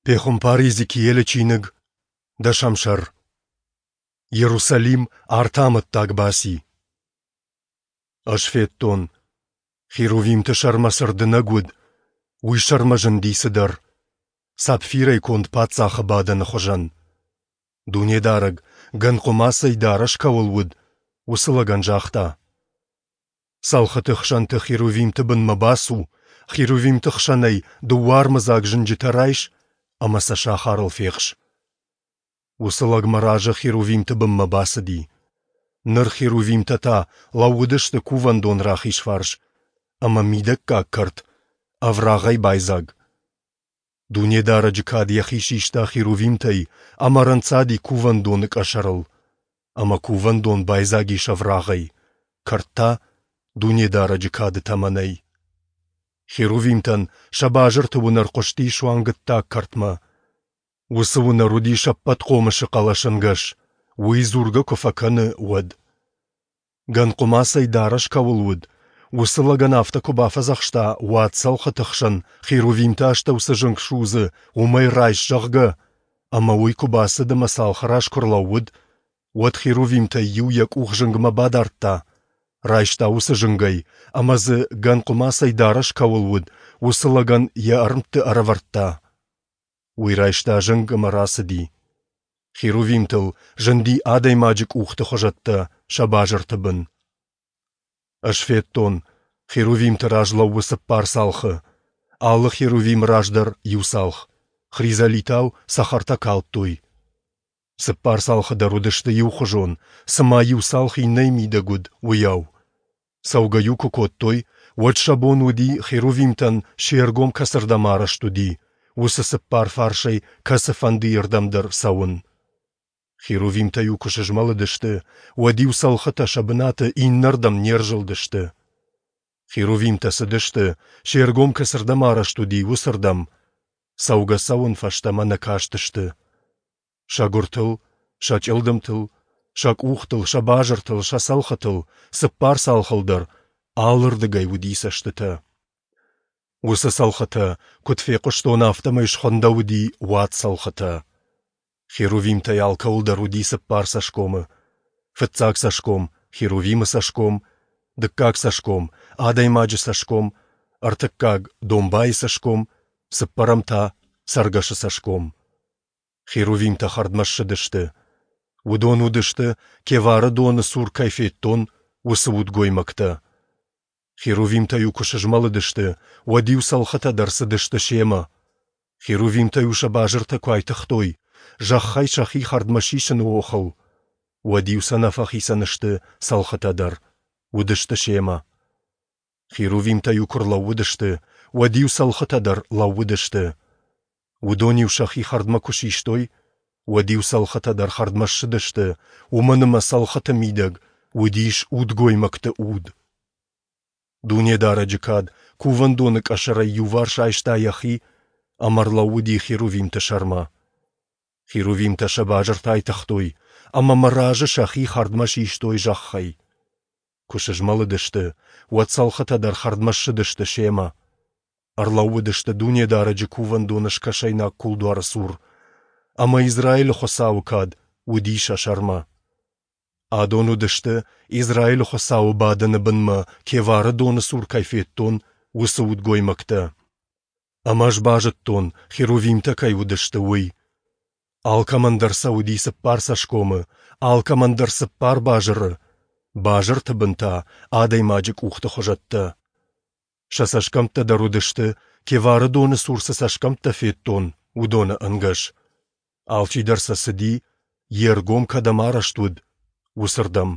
Пехуымпар Иезекиилы чиныг, дӕсӕм сӕр. Иерусалим арты амӕттаг баци. Ӕз федтон, херувимты сӕрмӕ цы рдынӕг уыд, уый сӕрмӕ зынди цыдӕр, сапфирӕй конд паддзахы бадӕны хуызӕн. Дунедарӕг, гӕн хъуымацӕй дарӕс кӕуыл уыд, уыцы лӕгӕн загъта: Цӕлхыты хсӕнты херувимты бынмӕ бацу, херувимты хсӕнӕй дыууӕ армыдзаг зынджытӕ райс ӕмӕ сӕ сахарыл фехс. Уыцы лӕг мӕ разы херувимты бынмӕ бацыди. Ныр херувимтӕ та лӕууыдысты кувӕндон рахиз фарс, ӕмӕ мидӕггаг кӕрт ӕврагъӕй байдзаг. Дунедарӕджы кад йӕхи систа херувимтӕй ӕмӕ ӕрӕнцади кувӕндоны къӕсӕрыл, ӕмӕ кувӕндон байдзаг ис ӕврагъӕй, кӕрт та Дунедарӕджы кады тӕмӕнӕй. Херувимтӕн сӕ базырты уынӕр хъуысти суанг ӕддаг кӕртмӕ. Уыцы уынӕр уыдис ӕппӕтхъомысы хъӕлӕсӕнгӕс, уый дзургӕ куы фӕкӕны, уӕд. Гӕн хъуымацӕй дарӕс кӕуыл уыд, уыцы лӕгӕн афтӕ куы бафӕдзӕхста, уӕд цӕлхыты хсӕн херувимты астӕу цы зынг судзы, уымӕй райс, зӕгъгӕ, ӕмӕ уый куы бацыд ӕмӕ цалхы раз куы рлӕууыд, уӕд херувимтӕй иу йӕ къух зынгмӕ бадардта, райста уыцы зынгӕй ӕмӕ дзы, гӕн хъуымацӕй дарӕс кӕуыл уыд, уыцы лӕгӕн йӕ ӕрмтты ӕрӕвӕрдта. Уый райста зынг ӕмӕ рацыди. Херувимтыл зынди адӕймаджы къухты хуызӕттӕ сӕ базырты бын. Ӕз федтон, херувимты раз лӕууы цыппар цалхы, алы херувимы раз дӕр иу цалх, хризолитау цӕхӕртӕ калдтой. Цыппар цалхы дӕр уыдысты иухуызон, цыма иу цалх иннӕйы мидӕг уыд, уыйау. Цӕугӕ-иу куы кодтой, уӕд сӕ бон уыди, херувимтӕн се ргом кӕцырдӕм арӕзт уыди, уыцы цыппар фарсӕй кӕцыфӕндыйырдӕм дӕр цӕуын. Херувимтӕ-иу куы сызмӕлыдысты, уӕд-иу цӕлхытӕ сӕ бынаты иннӕрдӕм не рзылдысты. Херувимтӕ цыдысты, се ргом кӕцырдӕм арӕзт уыди, уыцырдӕм. Цӕугӕ-цӕуын фӕстӕмӕ нӕ кастысты. Сӕ гуыртыл, сӕ чъылдымтыл, сӕ къухтыл, сӕ базыртыл, сӕ цӕлхытыл, цыппар цалхыл дӕр алырдыгӕй уыди цӕстытӕ. Уыцы цӕлхытӕ, куыд фехъуыстон, афтӕмӕй схуындӕуыди уад-цӕлхытӕ. Херувимтӕй алкӕуыл дӕр уыди цыппар цӕсгомы. Фыццаг цӕсгом — херувимы цӕсгом, дыккаг цӕсгом — адӕймаджы цӕсгом, ӕртыккаг — домбайы цӕсгом, цыппӕрӕм та — цӕргӕсы цӕсгом. Херувимтӕ хӕрдмӕ ссыдысты. Уыдон уыдысты, Кевары доны цур кӕй федтон, уыцы удгоймӕгтӕ. Херувимтӕ-иу куы сызмӕлыдысты, уӕд-иу цӕлхытӕ дӕр цыдысты семӕ. Херувимтӕ-иу сӕ базыртӕ куы айтыгътой, зӕххӕй сӕхи хӕрдмӕ сисыны охыл, уӕд-иу сӕ нӕ фӕхицӕн сты цӕлхытӕ дӕр, уыдысты семӕ. Херувимтӕ-иу куы рлӕууыдысты, уӕд-иу цӕлхытӕ дӕр лӕууыдысты. Уыдон-иу сӕхи хӕрдмӕ куы систой, уӕд-иу цӕлхытӕ дӕр хӕрдмӕ ссыдысты, уымӕн ӕмӕ цӕлхыты мидӕг уыдис удгоймӕгты уд. Дунедарӕджы кад кувӕндоны къӕсӕрӕй иуварс айста йӕхи ӕмӕ ӕрлӕууыди херувимты сӕрмӕ. Херувимтӕ сӕ базыртӕ айтыгътой ӕмӕ мӕ разы сӕхи хӕрдмӕ систой зӕххӕй. Куы сызмӕлыдысты, уӕд цӕлхытӕ дӕр хӕрдмӕ ссыдысты семӕ. Ӕрлӕууыдысты Дунедарӕджы кувӕндоны скӕсӕйнаг кулдуары цур, ӕмӕ Израилы Хуыцауы кад уыди сӕ сӕрмӕ. Адон уыдысты, Израилы Хуыцауы бадӕны бынмӕ Кевары доны цур кӕй федтон, уыцы удгоймӕгтӕ. Ӕмӕ ӕз базыдтон, херувимтӕ кӕй уыдысты, уый. Алкӕмӕн дӕр сӕ уыди цыппар цӕсгомы, алкӕмӕн дӕр цыппар базыры, базырты бын та адӕймаджы къухты хуызӕттӕ. Сӕ цӕсгӕмттӕ дӕр уыдысты, Кевары доны цур цы цӕсгӕмттӕ федтон, уыдоны ӕнгӕс. Алчидӕр сӕ цыди, йе ргом кӕдӕм арӕзт уыд, уыцырдӕм.